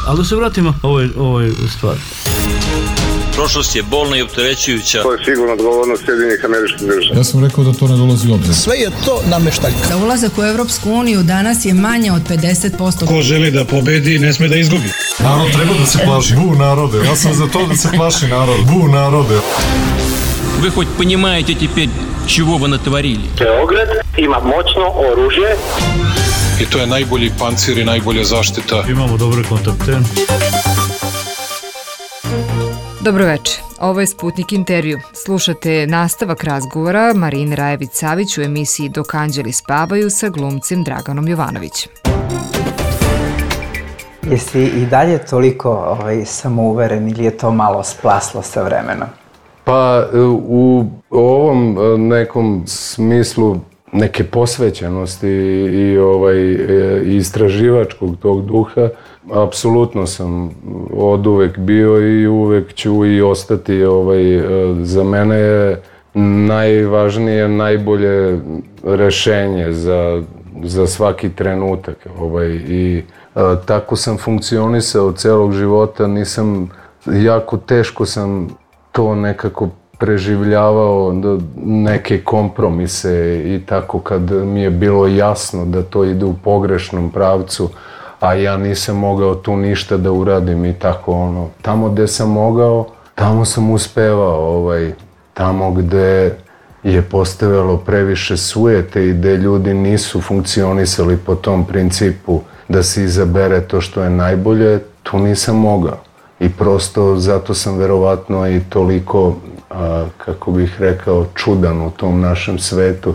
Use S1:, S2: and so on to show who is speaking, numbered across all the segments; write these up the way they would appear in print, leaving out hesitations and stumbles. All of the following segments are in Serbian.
S1: Ali da se vratimo ovoj stvari.
S2: Prošlost je bolna i opterećujuća.
S3: To je sigurno odgovornost Sjedinjenih Američkih Država.
S4: Ja sam rekao da to ne dolazi u obzir.
S5: Sve je to nameštaljka.
S6: Da ulazak u Evropsku uniju danas je manje od 50%.
S7: Ko želi da pobedi, ne sme da izgubi.
S4: Narod treba da se plaši. Bu narode. Ja sam za to da se plaši narod. Bu narode.
S2: Вы хоть понимаете теперь, чего вы натворили?
S8: Beograd ima moćno oružje.
S4: I to je najbolji pancir i najbolja zaštita.
S1: Imamo dobre kontakte.
S9: Dobroveče, ovo je Sputnik intervju. Slušate nastavak razgovora Marine Rajević-Savić u emisiji Dok anđeli spavaju sa glumcem Draganom Jovanovićem.
S10: Jesi i dalje toliko samouveren ili je to malo splaslo sa vremenom?
S11: Pa u ovom nekom smislu neke posvećenosti i istraživačkog tog duha, apsolutno sam oduvek bio i uvek ću i ostati. Za mene je najvažnije, najbolje rešenje za svaki trenutak. I tako sam funkcionisao celog života, jako teško sam to nekako preživljavao, neke kompromise i tako kad mi je bilo jasno da to ide u pogrešnom pravcu, a ja nisam mogao tu ništa da uradim i tako Tamo gde sam mogao, tamo sam uspevao, tamo gde je postojalo previše sujete i gde ljudi nisu funkcionisali po tom principu da se izabere to što je najbolje, tu nisam mogao. I prosto zato sam verovatno i toliko, kako bih rekao, čudan u tom našem svetu,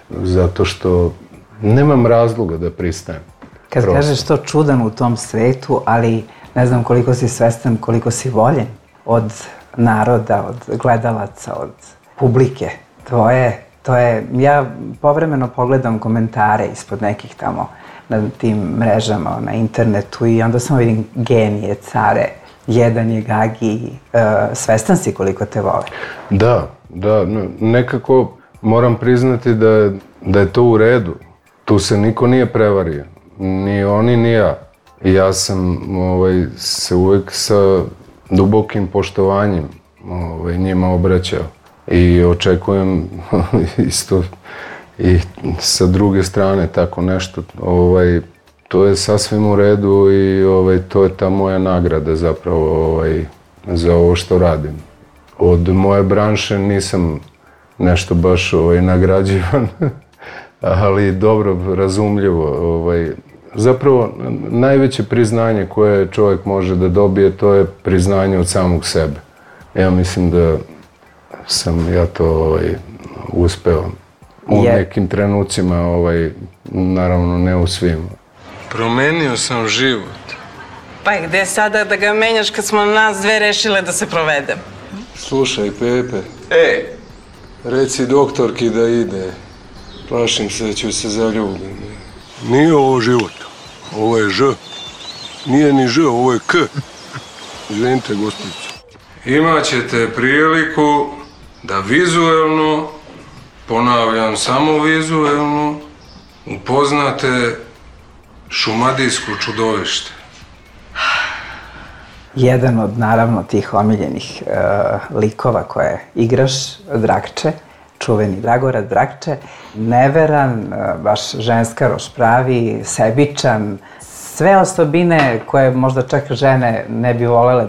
S11: zato što nemam razloga da pristajem.
S10: Kad kažeš to čudan u tom svetu, ali ne znam koliko si svestan, koliko si voljen od naroda, od gledalaca, od publike. To je, ja povremeno pogledam komentare ispod nekih tamo na tim mrežama, na internetu i onda samo vidim genije, care, jedan je Gagi, svestan si koliko te vole? Da,
S11: nekako moram priznati da je to u redu. Tu se niko nije prevario, ni oni ni ja. Ja sam se uvek sa dubokim poštovanjem njima obraćao i očekujem isto i sa druge strane tako nešto. To je sasvim u redu i to je ta moja nagrada zapravo za ovo što radim. Od moje branše nisam nešto baš nagrađivan, ali dobro, razumljivo. Zapravo, najveće priznanje koje čovjek može da dobije, to je priznanje od samog sebe. Ja mislim da sam ja to uspeo u nekim trenucima, naravno ne u svim.
S4: Promenio sam život.
S12: Pa i gde sada da ga menjaš kad smo nas dve rešile da se provedem?
S4: Slušaj, Pepe. Reci doktorki da ide. Plašim se da ću se zaljubiti. Nije ovo život. Ovo je Ž. Nije ni Ž, ovo je K. Izvinite, gospođice. Imaćete priliku da vizuelno, ponavljam, samo vizuelno, upoznate šumadijsko čudovište.
S10: Jedan od, naravno, tih omiljenih likova koje igraš, Drakče, čuveni Dragorad Drakče, neveran, baš ženskaroš pravi, sebičan, sve osobine koje možda čak žene ne bi volele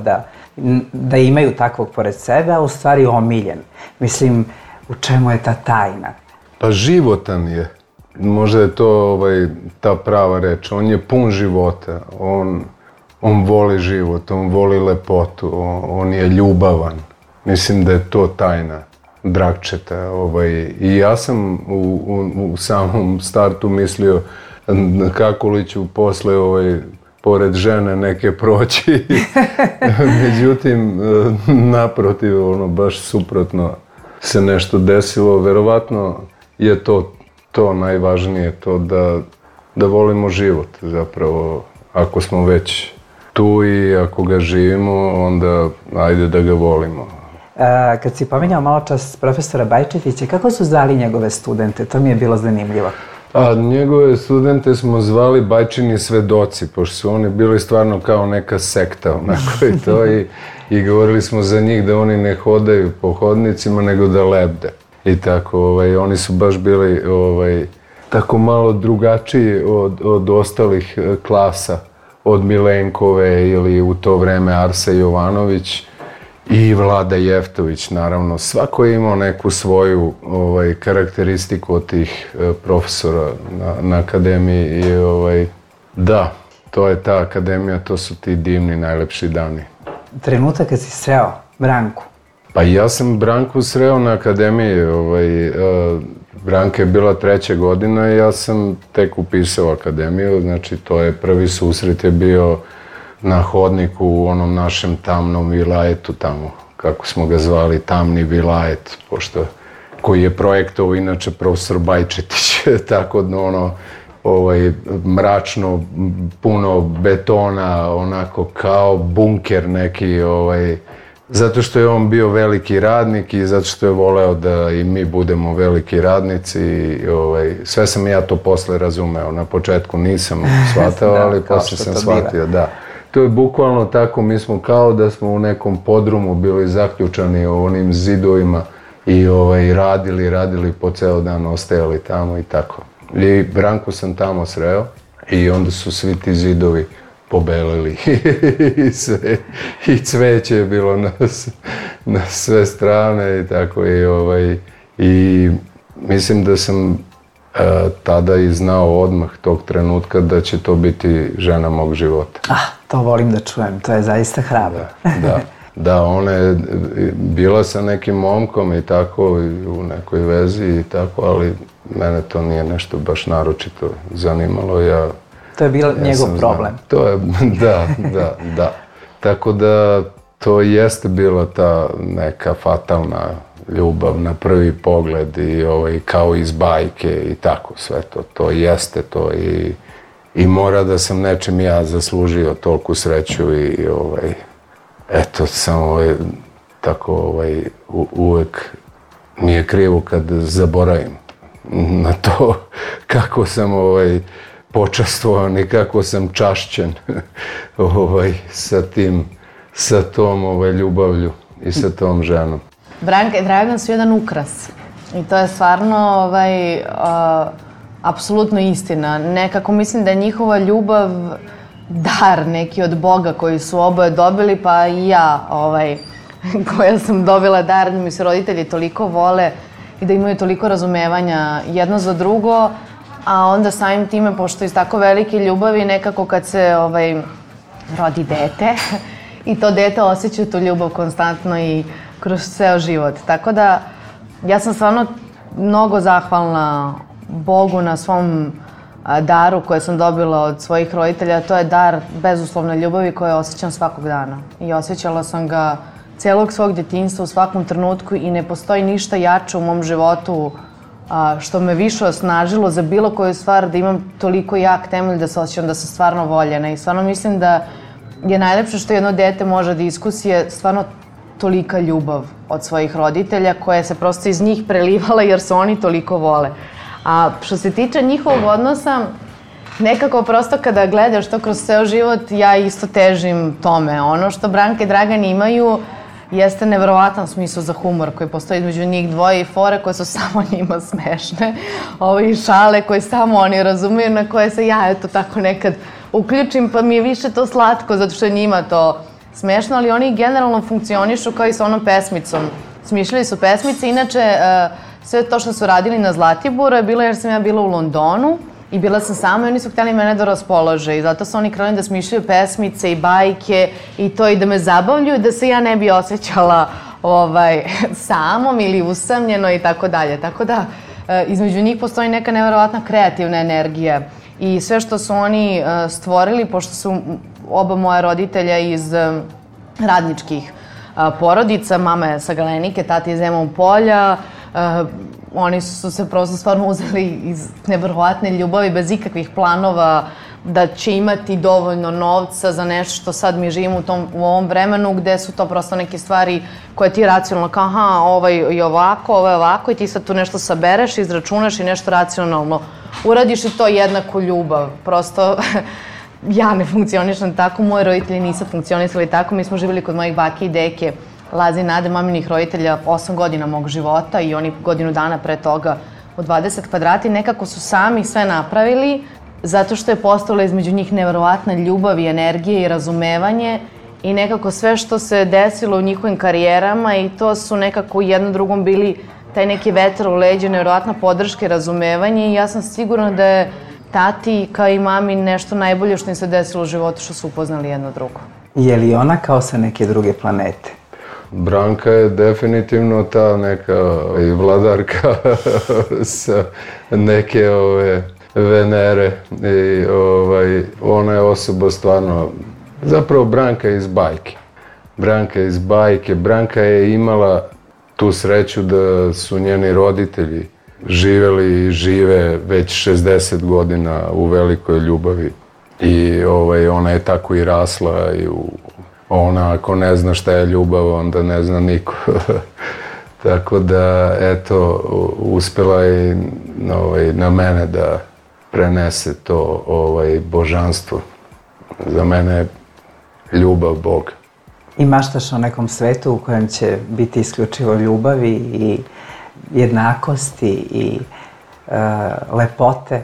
S10: da imaju takvog pored sebe, a u stvari omiljen. Mislim, u čemu je ta tajna?
S11: Pa životan je. Možda je to ta prava reč. On je pun života. On voli život, on voli lepotu, on je ljubavan. Mislim da je to tajna Drakčeta. I ja sam u samom startu mislio kako li ću posle pored žene neke proći. Međutim, naprotiv, baš suprotno se nešto desilo. Verovatno je to najvažnije, to da volimo život zapravo. Ako smo već tu i ako ga živimo, onda ajde da ga volimo.
S10: Kad si pominjao malo čas profesora Bajčetića, kako su zvali njegove studente? To mi je bilo zanimljivo.
S11: A njegove studente smo zvali bajčini svedoci, pošto su oni bili stvarno kao neka sekta, onako i to, i govorili smo za njih da oni ne hodaju po hodnicima, nego da lebde. I tako, oni su baš bili tako malo drugačiji od ostalih klasa, od Milenkove ili u to vreme Arse Jovanović i Vlada Jeftović, naravno. Svako je imao neku svoju karakteristiku od tih profesora na akademiji i da, to je ta akademija, to su ti divni, najlepši dani.
S10: Trenutak kad si sreo Branku?
S11: Pa ja sam Branku sreo na akademiji, Branka je bila 3. godina i ja sam tek upisao akademiju, znači to je prvi susret je bio na hodniku u onom našem tamnom vilajetu tamo, kako smo ga zvali, tamni vilajet, pošto koji je projektovao inače profesor Bajčetić, tako mračno, puno betona, onako kao bunker neki, zato što je on bio veliki radnik i zato što je voleo da i mi budemo veliki radnici. Sve sam ja to posle razumeo, na početku nisam shvatao, ali posle sam shvatio, da. To je bukvalno tako, mi smo kao da smo u nekom podrumu bili zaključani u onim zidovima i radili po ceo dan, ostajali tamo i tako. I Branku sam tamo sreo i onda su svi ti zidovi pobelili i cveće je bilo na sve strane i tako i mislim da sam tada i znao odmah tog trenutka da će to biti žena mog života.
S10: To volim da čujem, to je zaista hrabro.
S11: Da, ona je bila sa nekim momkom i tako, u nekoj vezi i tako, ali mene to nije nešto baš naročito zanimalo.
S10: To je bio njegov problem.
S11: To je, da. Tako da to jeste bila ta neka fatalna ljubav na prvi pogled i kao iz bajke i tako sve to. To jeste to i mora da sam nečim ja zaslužio toliku sreću i eto, samo tako uvek mi je krivo kad zaboravim na to kako sam počastvovan i kako sam čašćen sa tom ljubavlju i sa tom ženom.
S5: Branka i Dragan su jedan ukras i to je stvarno apsolutno istina. Nekako mislim da je njihova ljubav dar neki od Boga koji su oboje dobili, pa i ja koja sam dobila dar da mi se roditelji toliko vole i da imaju toliko razumevanja jedno za drugo, a onda samim time, pošto iz tako velike ljubavi, nekako kad se rodi dete i to dete osjeća tu ljubav konstantno i kroz ceo život. Tako da ja sam stvarno mnogo zahvalna Bogu na svom daru koje sam dobila od svojih roditelja. To je dar bezuslovne ljubavi koje osjećam svakog dana. I osjećala sam ga celog svog djetinjstva u svakom trenutku i ne postoji ništa jače u mom životu što me više osnažilo za bilo koju stvar, da imam toliko jak temelj da se osjećam da sam stvarno voljena. I stvarno mislim da je najlepše što jedno dete može da iskusi je stvarno tolika ljubav od svojih roditelja koja se prosto iz njih prelivala jer se oni toliko vole. A što se tiče njihovog odnosa, nekako prosto kada gledaš to kroz ceo život, ja isto težim tome. Ono što Branka i Dragan imaju jeste neverovatan smisao za humor koji postoji između njih dvoje i fore koje su samo njima smešne. I šale koje samo oni razumeju, na koje se ja eto tako nekad uključim, pa mi je više to slatko zato što je njima to smešno, ali oni generalno funkcionišu kao i sa onom pesmicom. Smišljali su pesmice, inače sve to što su radili na Zlatiboru je bilo jer sam ja bila u Londonu i bila sam sama i oni su htjeli mene da raspolože i zato su oni krenuli da smišljaju pesmice i bajke i to i da me zabavljuju da se ja ne bi osjećala samom ili usamljeno i tako dalje. Tako da između njih postoji neka neverovatna kreativna energija i sve što su oni stvorili, pošto su oba moja roditelja iz radničkih porodica, mama je sa Galenike, tata iz Zemun Polja, oni su se prosto stvarno uzeli iz neverovatne ljubavi bez ikakvih planova da će imati dovoljno novca za nešto što sad mi živimo u ovom vremenu gde su to prosto neke stvari koje ti racionalno kao aha, ovo je ovako i ti sad tu nešto sabereš, izračunaš i nešto racionalno uradiš i to jednaku ljubav. Prosto ja ne funkcionišem tako, moji roditelji nisu funkcionisali tako. Mi smo živjeli kod mojih bake i deke, Laze i Nade, maminih roditelja, 8 godina mog života i oni godinu dana pre toga u 20 kvadrata i nekako su sami sve napravili zato što je postala između njih neverovatna ljubav i energija i razumevanje i nekako sve što se desilo u njihovim karijerama i to su nekako jedno drugom bili taj neki vetar u leđa, neverovatna podrška i razumevanje i ja sam sigurna da je tati kao i mami nešto najbolje što im se desilo u životu što su upoznali jedno drugo.
S10: Je li ona kao sa neke druge planete?
S11: Branka je definitivno ta neka vladarka sa neke Venere i ona je osoba stvarno, zapravo Branka je iz bajke. Branka je iz bajke, Branka je imala tu sreću da su njeni roditelji živeli i žive već 60 godina u velikoj ljubavi i ona je tako i rasla i ona ako ne zna šta je ljubav, onda ne zna niko. Tako da, eto, uspela je na mene da prenese to božanstvo. Za mene je ljubav Bog.
S10: I maštaš o nekom svetu u kojem će biti isključivo ljubavi i jednakosti i lepote.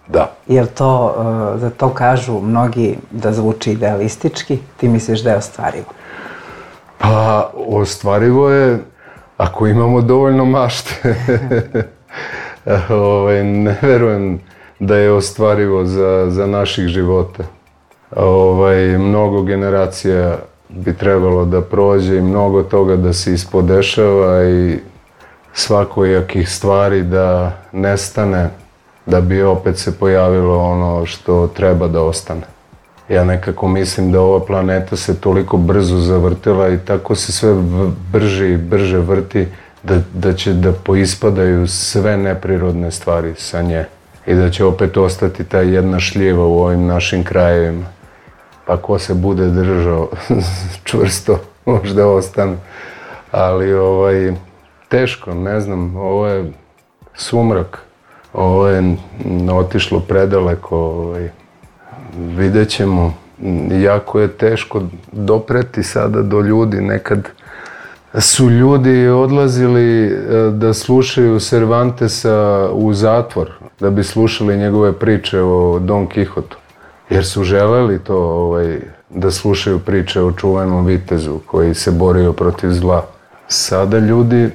S11: Da.
S10: Jer to, za to kažu mnogi da zvuči idealistički, ti misliš da je ostvarivo?
S11: Pa, ostvarivo je ako imamo dovoljno mašte. Ne verujem da je ostvarivo za naših života. Mnogo generacija bi trebalo da prođe i mnogo toga da se ispodešava i svakojakih stvari da nestane, da bi opet se pojavilo ono što treba da ostane. Ja nekako mislim da ova planeta se toliko brzo zavrtila i tako se sve brže i brže vrti da će da poispadaju sve neprirodne stvari sa nje i da će opet ostati ta jedna šljiva u ovim našim krajevima. Pa ko se bude držao čvrsto, možda ostane. Ali teško, ne znam, ovo je sumrak, ovo je otišlo predaleko, vidjet ćemo. Jako je teško dopreti sada do ljudi. Nekad su ljudi odlazili da slušaju Cervantesa u zatvor, da bi slušali njegove priče o Don Kihotu. Jer su želeli to da slušaju priče o čuvenom vitezu koji se borio protiv zla. Sada ljudi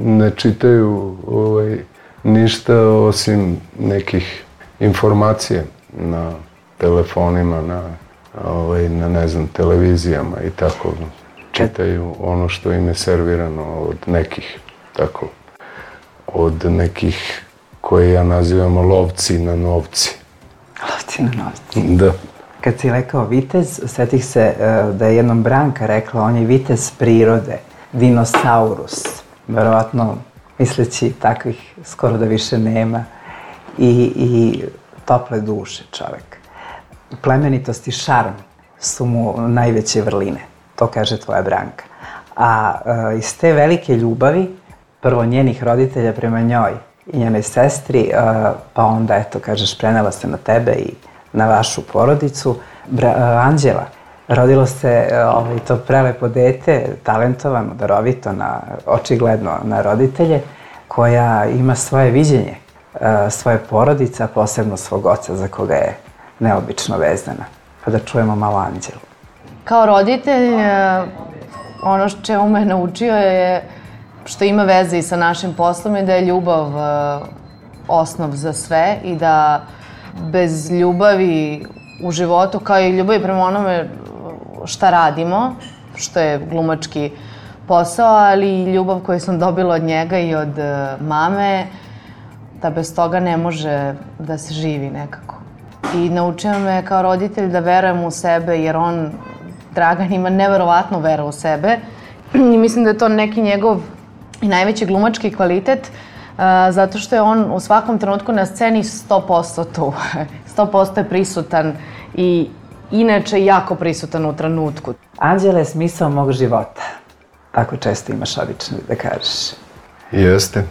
S11: ne čitaju ništa osim nekih informacija na telefonima, na ne znam, televizijama i tako. Čitaju ono što im je servirano od nekih, tako, od nekih koje ja nazivamo lovci na novci.
S10: Lovci na novci.
S11: Da.
S10: Kad si rekao vitez, setih se da je jednom Branka rekla, on je vitez prirode, dinosaurus. Verovatno, misleći takvih skoro da više nema. I tople duše čovek. Plemenitost i šarm su mu najveće vrline. To kaže tvoja Branka. A iz te velike ljubavi, prvo njenih roditelja prema njoj i njenoj sestri, pa onda, eto, kažeš, prenela se na tebe i na vašu porodicu. Anđela, rodilo se to prelepo dete, talentovano, darovito, očigledno na roditelje, koja ima svoje viđenje, svoje porodice, a posebno svog oca za koga je neobično vezana. Pa da čujemo malo Anđelu.
S5: Kao roditelj, ono čemu me naučio je što ima veze i sa našim poslom i da je ljubav osnov za sve i da bez ljubavi u životu, kao i ljubavi prema onome šta radimo, što je glumački posao, ali i ljubav koju sam dobila od njega i od mame, da bez toga ne može da se živi nekako. I naučio me kao roditelj da verujem u sebe, jer on, Dragan, ima neverovatnu veru u sebe. I mislim da je to neki njegov i najveći glumački kvalitet, zato što je on u svakom trenutku na sceni 100% tu. 100% je prisutan i inače jako prisutan u trenutku.
S10: Anđela je smisao mog života. Tako često imaš obično da kažeš.
S11: Jeste.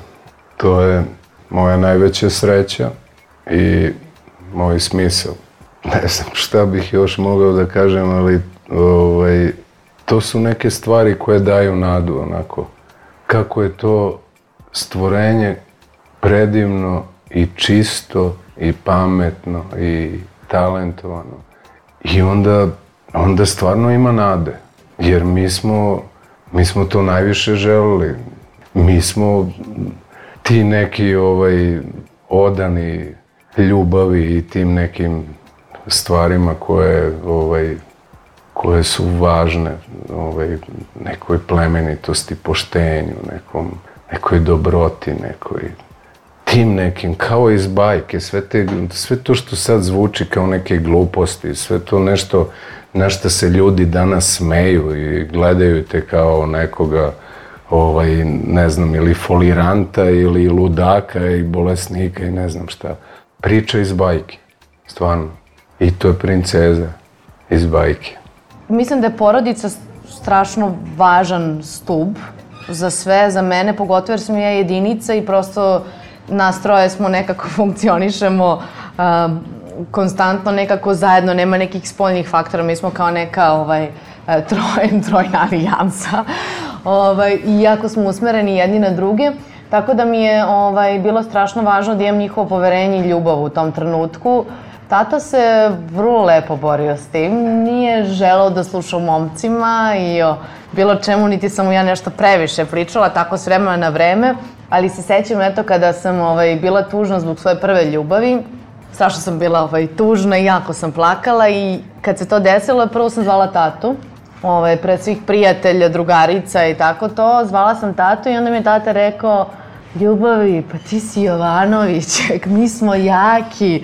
S11: To je moja najveća sreća i moj smisao. Ne znam šta bih još mogao da kažem, ali to su neke stvari koje daju nadu, onako. Kako je to stvorenje predivno i čisto i pametno i talentovano. I onda stvarno ima nade, jer mi smo to najviše želeli. Mi smo ti neki odani ljubavi i tim nekim stvarima koje su važne, nekoj plemenitosti, poštenju, nekoj dobroti, tim nekim, kao iz bajke, sve to što sad zvuči kao neke gluposti, sve to nešto na što se ljudi danas smeju i gledaju te kao nekoga, ne znam, ili foliranta, ili ludaka, i bolesnika, i ne znam šta. Priča iz bajke, stvarno. I to je princeza iz bajke.
S5: Mislim da je porodica strašno važan stub za sve, za mene, pogotovo jer sam ja jedinica i prosto nas troje smo nekako funkcionišemo konstantno nekako zajedno, nema nekih spoljnih faktora, mi smo kao neka trojna alijansa i jako smo usmereni jedni na druge, tako da mi je bilo strašno važno da imam njihovo poverenje i ljubav u tom trenutku. Tata se vrlo lepo borio s tim, nije želeo da sluša o momcima i o bilo čemu, niti sam mu ja nešto previše pričala, tako s vremena na vreme, ali se sećam eto kada sam bila tužna zbog svoje prve ljubavi, strašno sam bila tužna i jako sam plakala i kad se to desilo, prvo sam zvala tatu, pred svih prijatelja, drugarica i tako to, zvala sam tatu i onda mi je tata rekao: Ljubavi, pa ti si Jovanović, mi smo jaki,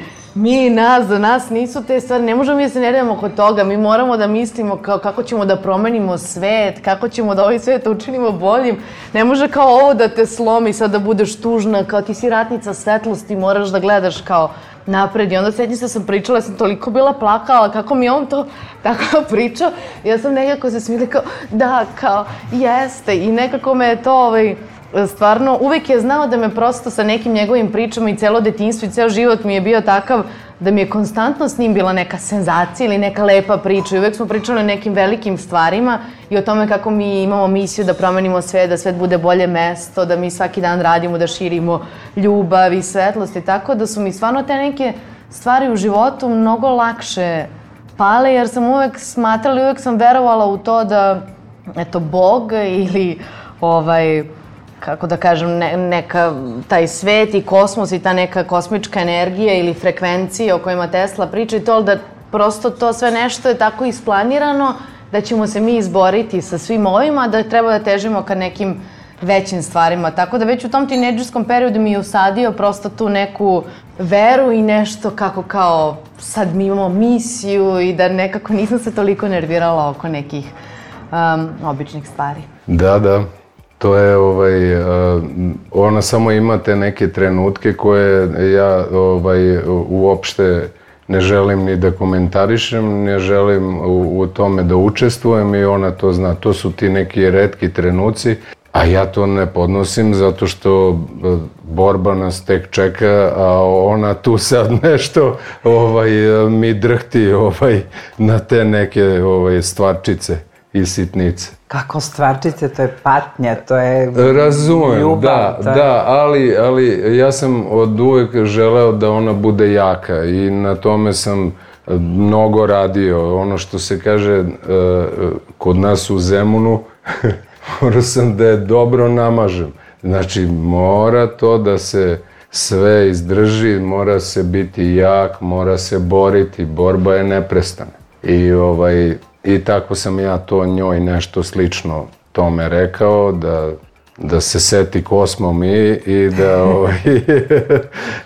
S5: za nas nisu te stvari, ne možemo mi da se nervimo oko toga, mi moramo da mislimo kako ćemo da promenimo svet, kako ćemo da ovaj svet učinimo boljim, ne može kao ovo da te slomi, sad da budeš tužna, kao ti si ratnica svetlosti, moraš da gledaš kao napred. I onda sećam se da sam pričala, ja sam toliko bila plakala, kako mi on to tako pričao, ja sam nekako se smila kao, da, kao, jeste, i nekako me je to, stvarno, uvek je znao da me prosto sa nekim njegovim pričama i celo detinjstvo i ceo život mi je bio takav da mi je konstantno s njim bila neka senzacija ili neka lepa priča i uvek smo pričali o nekim velikim stvarima i o tome kako mi imamo misiju da promenimo svet, da svet bude bolje mesto, da mi svaki dan radimo, da širimo ljubav i svetlost i tako da su mi stvarno te neke stvari u životu mnogo lakše pale jer sam uvek smatrala i uvek sam verovala u to da, eto, Bog ili kako da kažem, taj svet i kosmos i ta neka kosmička energija ili frekvencija o kojima Tesla priča i to da prosto to sve nešto je tako isplanirano da ćemo se mi izboriti sa svim ovima, da treba da težimo ka nekim većim stvarima. Tako da već u tom tinejdžerskom periodu mi je usadio prosto tu neku veru i nešto kako kao sad mi imamo misiju i da nekako nisam se toliko nervirala oko nekih običnih stvari.
S11: Da. To je, ona samo ima te neke trenutke koje ja uopšte ne želim ni da komentarišem, ne želim u tome da učestvujem i ona to zna. To su ti neki retki trenuci, a ja to ne podnosim zato što borba nas tek čeka, a ona tu sad nešto mi drhti na te neke stvarčice i sitnice.
S10: Kako stvarčice, to je patnja, to je
S11: razumem,
S10: ljubav.
S11: Da, ali ja sam od uvek želeo da ona bude jaka i na tome sam mnogo radio. Ono što se kaže kod nas u Zemunu, morao sam da je dobro namažem. Znači, mora to da se sve izdrži, mora se biti jak, mora se boriti, borba je neprestana. I tako sam ja to njoj nešto slično tome rekao, da se seti ko smo mi i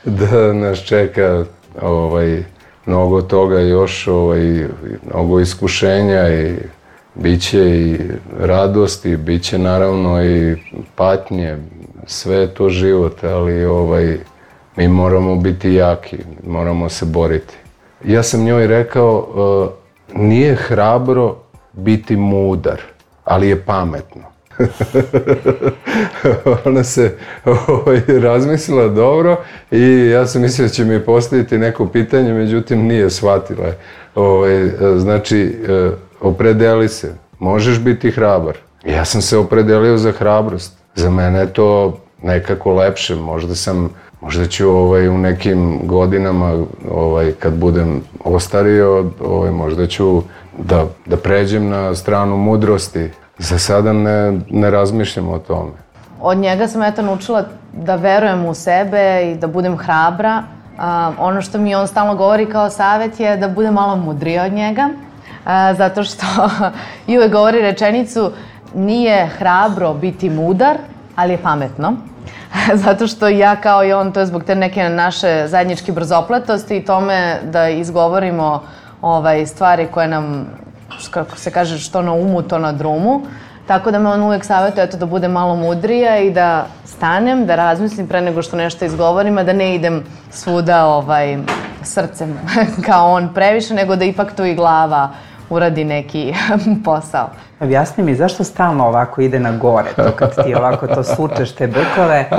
S11: da nas čeka mnogo toga još, mnogo iskušenja i biće i radosti, biće naravno i patnje, sve je to život, ali mi moramo biti jaki, moramo se boriti. Ja sam njoj rekao, nije hrabro biti mudar, ali je pametno. Ona se razmislila dobro i ja sam mislio da će mi postaviti neko pitanje, međutim nije shvatila. Znači, opredeli se, možeš biti hrabar. Ja sam se opredelio za hrabrost. Za mene je to nekako lepše, možda ću u nekim godinama, kad budem ostario, možda ću da pređem na stranu mudrosti. Za sada ne razmišljam o tome.
S5: Od njega sam naučila da verujem u sebe i da budem hrabra. Ono što mi on stalno govori kao savjet je da budem malo mudrija od njega, zato što i uvek govori rečenicu nije hrabro biti mudar, ali je pametno. Zato što ja kao i on, to je zbog te neke naše zajedničke brzopletosti i tome da izgovorimo stvari koje nam, kako se kaže, što na umu, to na drumu. Tako da me on uvek savjetuje da budem malo mudrija i da stanem, da razmislim pre nego što nešto izgovorim, a da ne idem svuda srcem kao on previše, nego da ipak tu i glava uradi neki posao.
S10: Objasni mi, zašto stalno ovako ide na gore, to kad ti ovako to sučeš te brkove,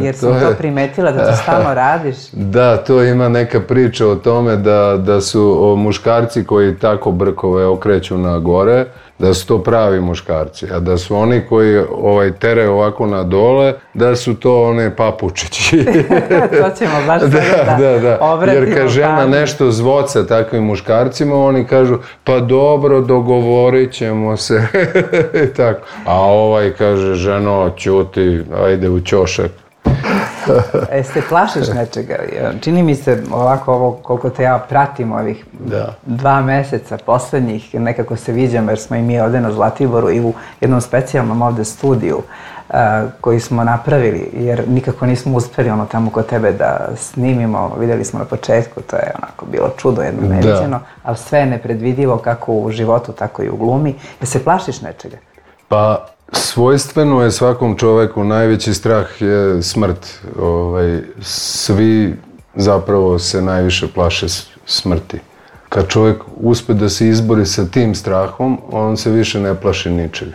S10: jer sam to primetila da to stalno radiš?
S11: Da, to ima neka priča o tome da su muškarci koji tako brkove okreću na gore, da su to pravi muškarci, a da su oni koji teraju ovako na dole, da su to one papučići.
S10: To ćemo baš sada da obratimo.
S11: Jer kad žena nešto zvoca takvim muškarcima, oni kažu, pa dobro, dogovorit ćemo se. A kaže, ženo, ćuti, ajde u ćošak.
S10: Se plašiš nečega? Čini mi se ovako ovo koliko te ja pratim ovih 2 meseca poslednjih, nekako se viđamo jer smo i mi ovde na Zlatiboru i u jednom specijalnom ovde studiju koji smo napravili, jer nikako nismo uspeli tamo kod tebe da snimimo, videli smo na početku, to je onako bilo čudo jedno neviđeno, ali sve je nepredvidivo kako u životu, tako i u glumi. Jel se plašiš nečega?
S11: Pa, svojstveno je svakom čoveku, najveći strah je smrt. Svi zapravo se najviše plaše smrti. Kad čovjek uspe da se izbori sa tim strahom, on se više ne plaši ničega.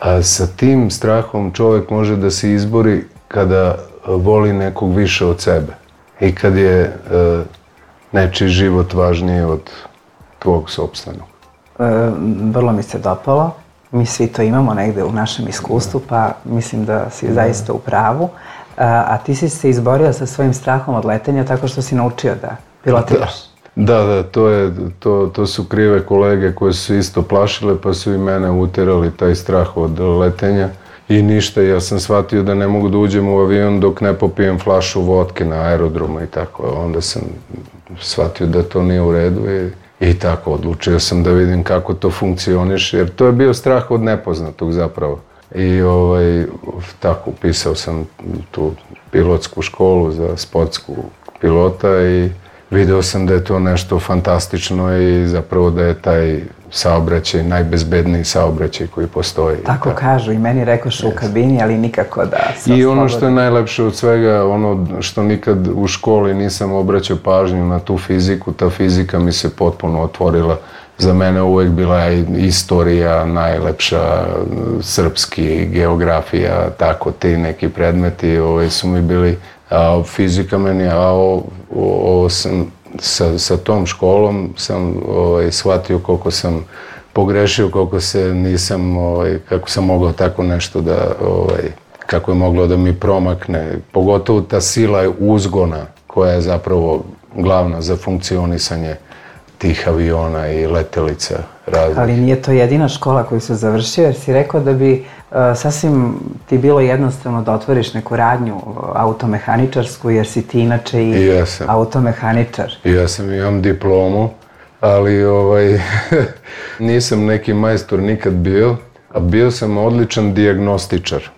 S11: A sa tim strahom čovjek može da se izbori kada voli nekog više od sebe i kad je nečiji život važniji od tvog sopstvenog.
S10: Vrlo mi se dopalo. Mi svi to imamo negde u našem iskustvu, pa mislim da si zaista u pravu. A ti si se izborio sa svojim strahom od letenja tako što si naučio da pilotiraš.
S11: Da, to su krive kolege koje su isto plašile, pa su i mene uterali taj strah od letenja. I ništa, ja sam shvatio da ne mogu da uđem u avion dok ne popijem flašu vodke na aerodromu i tako. Onda sam shvatio da to nije u redu i tako, odlučio sam da vidim kako to funkcioniše, jer to je bio strah od nepoznatog zapravo. I tako, upisao sam tu pilotsku školu za sportsku pilota i video sam da je to nešto fantastično i zapravo da je taj saobraćaj najbezbedniji saobraćaj koji postoji.
S10: Tako kažu i meni rekoš u kabini, ali nikako da se oslobodi.
S11: I ono što je najlepše od svega, ono što nikad u školi nisam obraćao pažnju na tu fiziku, ta fizika mi se potpuno otvorila. Za mene uvek bila istorija najlepša, srpski, geografija, tako ti neki predmeti su mi bili, a fizika meni, a ovo sam sa tom školom sam shvatio koliko sam pogrešio, koliko se nisam, kako sam mogao tako nešto da, kako je moglo da mi promakne. Pogotovo ta sila uzgona koja je zapravo glavna za funkcionisanje tih aviona i letelica različitih.
S10: Ali nije to jedina škola koju si završio, jer si rekao da bi sasvim ti bilo jednostavno da otvoriš neku radnju automehaničarsku, jer si ti inače i automehaničar.
S11: Ja sam, imam diplomu, ali nisam neki majstor nikad bio, a bio sam odličan dijagnostičar.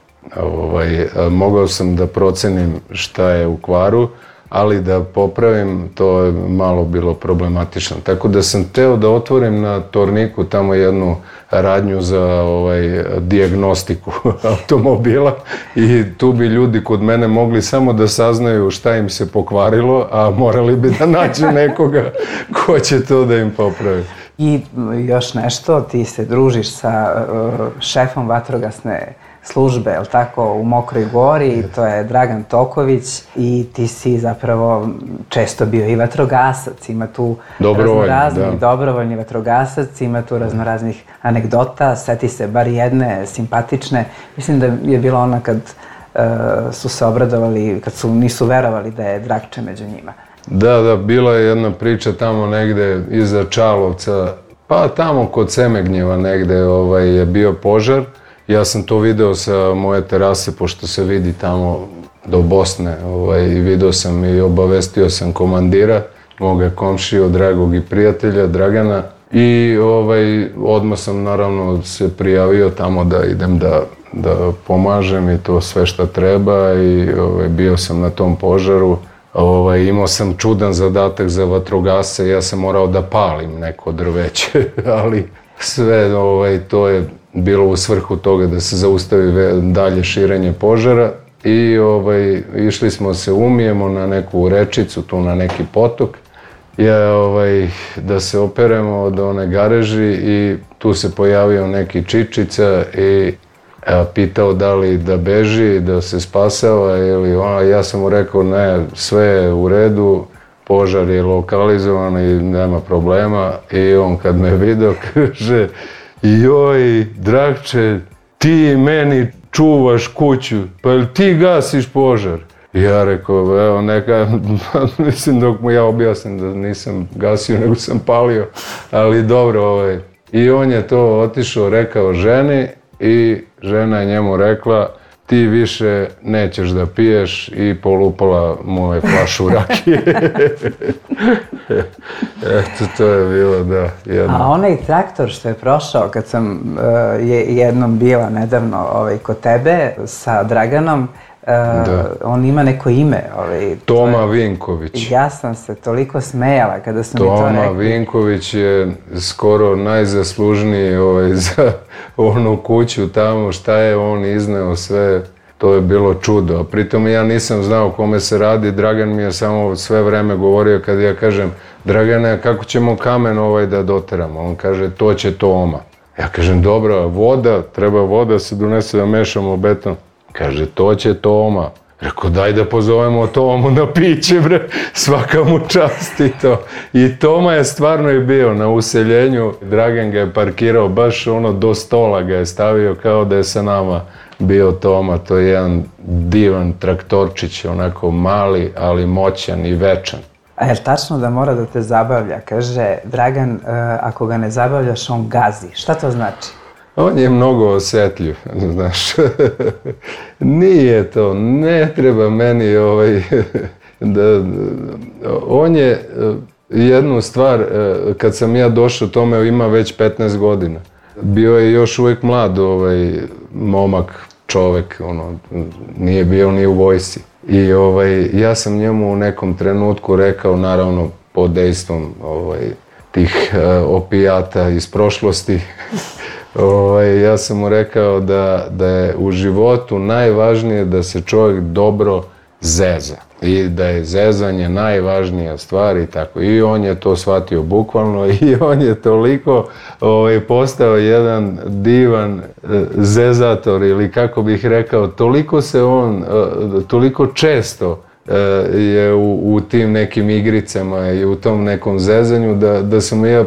S11: Mogao sam da procenim šta je u kvaru, ali da popravim, to je malo bilo problematično. Tako da sam teo da otvorim na Torniku tamo jednu radnju za dijagnostiku automobila i tu bi ljudi kod mene mogli samo da saznaju šta im se pokvarilo, a morali bi da nađu nekoga ko će to da im popravi.
S10: I još nešto, ti se družiš sa šefom vatrogasne službe, je li tako, u Mokroj Gori, to je Dragan Toković i ti si zapravo često bio i vatrogasac, ima tu raznoraznih, dobrovoljni vatrogasac, ima tu raznoraznih anegdota, seti se bar jedne simpatične, mislim da je bila ona kad su se obradovali, kad nisu verovali da je Dragče među njima.
S11: Da, bila je jedna priča tamo negde iza Čalovca, pa tamo kod Semegnjeva negde je bio požar. Ja sam to video sa moje terase, pošto se vidi tamo do Bosne, i video sam i obavestio sam komandira, moga komšiju, dragog i prijatelja, Dragana, i odmah sam naravno se prijavio tamo da idem da pomažem i to sve šta treba i bio sam na tom požaru. Imao sam čudan zadatak za vatrogasce, ja sam morao da palim neko drveće, ali sve to je bilo u svrhu toga da se zaustavi dalje širenje požara i išli smo se umijemo na neku rečicu, tu na neki potok, da se operemo od one gareži i tu se pojavio neki čičica i pitao da li da beži, da se spasava ili ja sam mu rekao ne, sve je u redu, požar je lokalizovan i nema problema i on kad me vidio kaže joj, Dragče, ti meni čuvaš kuću, pa jel ti gasiš požar? I ja rekao, evo neka, mislim dok mu ja objasnim da nisam gasio nego sam palio, ali dobro, I on je to otišao, rekao ženi i žena je njemu rekla ti više nećeš da piješ i polupala moje flašu rakije. Eto, to je bilo, da, jedno.
S10: A onaj traktor što je prošao kad sam jednom bila nedavno kod tebe sa Draganom, on ima neko ime.
S11: Toma Vinković.
S10: Ja sam se toliko smejala kada su mi to rekli.
S11: Toma Vinković je skoro najzaslužniji za onu kuću tamo, šta je on izneo sve, to je bilo čudo. A pritom ja nisam znao kome se radi, Dragan mi je samo sve vreme govorio kad ja kažem Dragane, kako ćemo kamen da doteramo? On kaže, to će Toma. Ja kažem, dobro, voda, treba voda se donese da mešamo beton. Kaže, to će Toma. Rekao, daj da pozovemo Tomu na piće, bre, svaka mu čast i to. I Toma je stvarno i bio na useljenju. Dragan ga je parkirao, baš do stola ga je stavio kao da je sa nama bio Toma. To je jedan divan traktorčić, onako mali, ali moćan i večan.
S10: A je li tačno da mora da te zabavlja? Kaže, Dragan, ako ga ne zabavljaš, on gazi. Šta to znači?
S11: On je mnogo osjetljiv, znaš. Nije to, ne treba meni on je jednu stvar, kad sam ja došao, tome ima već 15 godina. Bio je još uvijek mlad momak, čovek, nije bio ni u vojsci. I ja sam njemu u nekom trenutku rekao, naravno pod dejstvom tih opijata iz prošlosti, ja sam mu rekao da je u životu najvažnije da se čovjek dobro zeza i da je zezanje najvažnija stvar i tako. I on je to shvatio bukvalno i on je toliko postao jedan divan zezator ili kako bih rekao, toliko se on, toliko često je u tim nekim igricama i u tom nekom zezanju da sam ja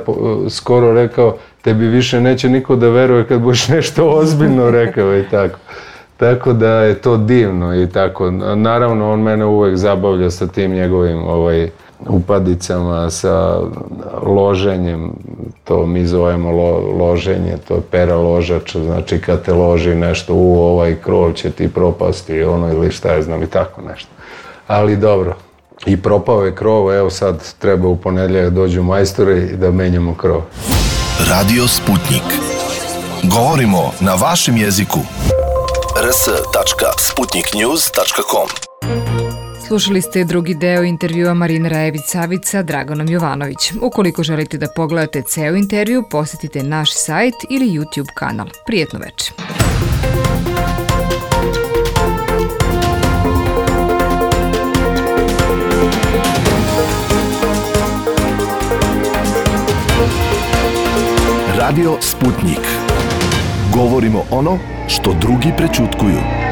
S11: skoro rekao tebi više neće niko da veruje kad budeš nešto ozbiljno rekao i tako. Tako da je to divno i tako. Naravno, on mene uvek zabavlja sa tim njegovim upadicama, sa loženjem. To mi zovemo loženje, to je pera ložač. Znači kad te loži nešto, ovaj krov će ti propasti ili šta je znam i tako nešto. Ali dobro. I propao je krov, evo sad treba u ponedjeljak dođu majstori i da menjamo krov.
S13: Radio Sputnik. Govorimo na vašem jeziku. rs.sputniknews.com.
S9: Slušali ste drugi deo intervjua Marine Rajević-Savić sa Draganom Jovanović. Ukoliko želite da pogledate ceo intervju, posetite naš sajt ili YouTube kanal. Prijetno veče.
S13: Radio Sputnik. Govorimo ono što drugi prećutkuju.